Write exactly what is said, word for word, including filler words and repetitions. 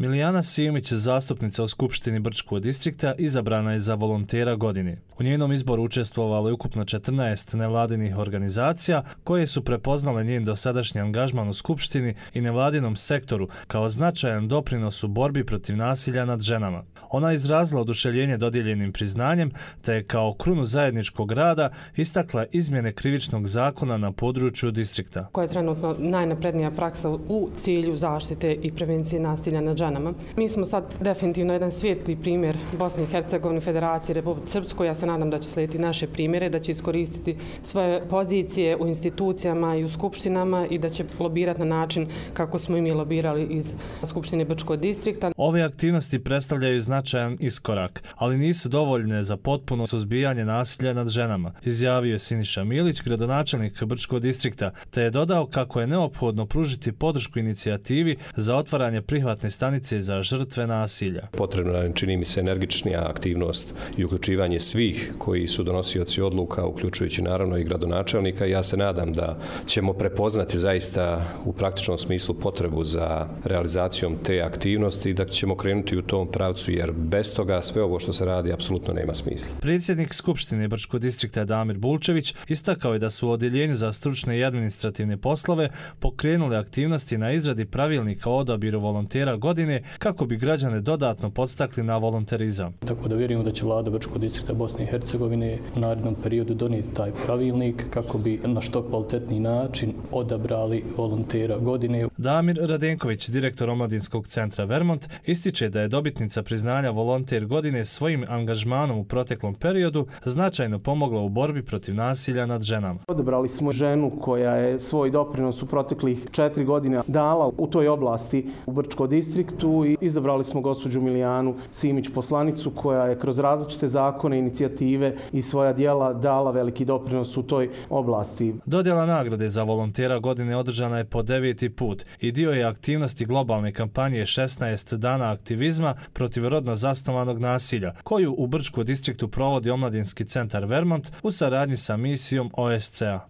Milijana Simić, zastupnica u Skupštini Brčkog distrikta, izabrana je za volontera godine. U njenom izboru učestvovalo je ukupno četrnaest nevladinih organizacija koje su prepoznale njen dosadašnji angažman u Skupštini i nevladinom sektoru kao značajan doprinos u borbi protiv nasilja nad ženama. Ona je izrazila oduševljenje dodijeljenim priznanjem te je kao krunu zajedničkog rada istakla izmjene krivičnog zakona na području distrikta. Koja je trenutno najnaprednija praksa u cilju zaštite i prevencije nasilja nad ženama. Mi smo sad definitivno jedan svijetli primjer Bosne i Hercegovine, Federacije, Republike Srpskoj. Ja se nadam da će slijediti naše primjere, da će iskoristiti svoje pozicije u institucijama i u skupštinama i da će lobirati na način kako smo i mi lobirali iz Skupštine Brčkog distrikta. Ove aktivnosti predstavljaju značajan iskorak, ali nisu dovoljne za potpuno suzbijanje nasilja nad ženama, izjavio je Siniša Milić, gradonačelnik Brčkog distrikta, te je dodao kako je neophodno pružiti podršku inicijativi za otvaranje prihvatne stanice za žrtve nasilja. Potrebna je, čini mi se, energičnija aktivnost i uključivanje svih koji su donosioci odluka, uključujući naravno i gradonačelnika. Ja se nadam da ćemo prepoznati zaista u praktičnom smislu potrebu za realizacijom te aktivnosti i da ćemo krenuti u tom pravcu, jer bez toga sve ovo što se radi apsolutno nema smisla. Predsjednik Skupštine Brčkog distrikta Damir Bulčević istakao je da su u Odjeljenju za stručne i administrativne poslove pokrenuli aktivnosti na izradi pravilnika o odabiru volontera godine kako bi građane dodatno podstakli na volonterizam. Tako da vjerujemo da će vlada Brčkog distrikta Bosne i Hercegovine u narednom periodu donijeti taj pravilnik kako bi na što kvalitetniji način odabrali volontera godine. Damir Radenković, direktor Omladinskog centra Vermont, ističe da je dobitnica priznanja volonter godine svojim angažmanom u proteklom periodu značajno pomogla u borbi protiv nasilja nad ženama. Odabrali smo ženu koja je svoj doprinos u proteklih četiri godine dala u toj oblasti u Brčkom distriktu i izabrali smo gospođu Milijanu Simić, poslanicu koja je kroz različite zakone, inicijative i svoja djela dala veliki doprinos u toj oblasti. Dodjela nagrade za volontera godine održana je po deveti put i dio je aktivnosti globalne kampanje šesnaest dana aktivizma protiv rodno zasnovanog nasilja, koju u Brčkom distriktu provodi Omladinski centar Vermont u saradnji sa misijom O S C E A.